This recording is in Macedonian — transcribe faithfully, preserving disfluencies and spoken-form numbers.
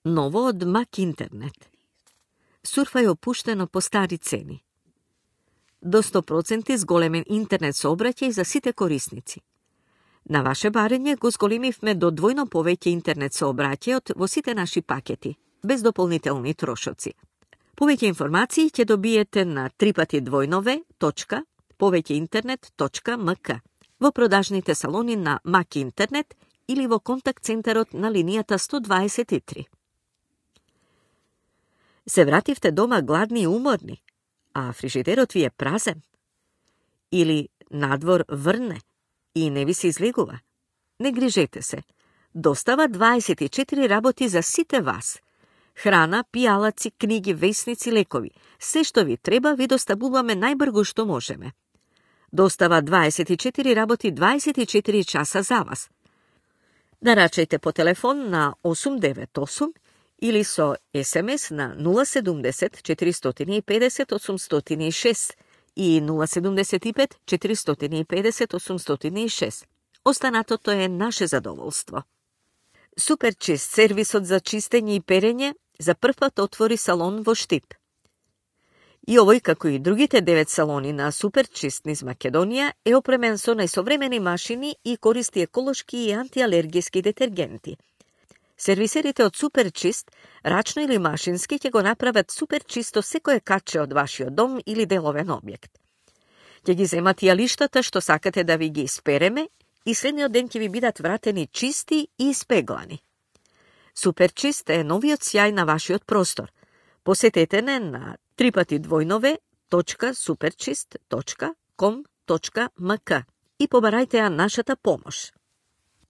Ново од Мак Интернет. Сурфај опуштено по стари цени. До сто проценти зголемен интернет сообраќај за сите корисници. На ваше барење го зголемивме до двојно повеќе интернет сообраќајот во сите наши пакети, без дополнителни трошоци. Повеќе информации ќе добиете на три пати двојнове точка повеќеинтернет точка мк во продажните салони на Мак Интернет или во контакт центарот на линијата сто дваесет и три. Се вративте дома гладни и уморни, а фрижидерот ви е празен? Или надвор врне и не ви се излегува? Не грижете се. Достава дваесет и четири работи за сите вас. Храна, пијалаци, книги, весници, лекови. Се што ви треба ви доставуваме најбрзо што можеме. Достава дваесет и четири работи дваесет и четири часа за вас. Нарачајте по телефон на осум девет осум или со ес ем ес на нула седумдесет четиристотини и педесет осумстотини и шест и нула седумдесет и пет четиристотини и педесет осумстотини и шест. Останатото е наше задоволство. Суперчист, сервисот за чистење и перење, за прв пат отвори салон во Штип. И овој, како и другите девет салони на Суперчист низ Македонија, е опремен со најсовремени машини и користи еколошки и антиалергиски детергенти. Сервисерите од Суперчист, рачно или машински, ќе го направат суперчисто секое каче од вашиот дом или деловен објект. Ќе ги земат јалиштата што сакате да ви ги испереме и следниот ден ќе ви бидат вратени чисти и испеглани. Суперчист е новиот сјај на вашиот простор. Посетете не на три пати двојнове точка суперчист точка ком точка мк и побарајте ја нашата помош.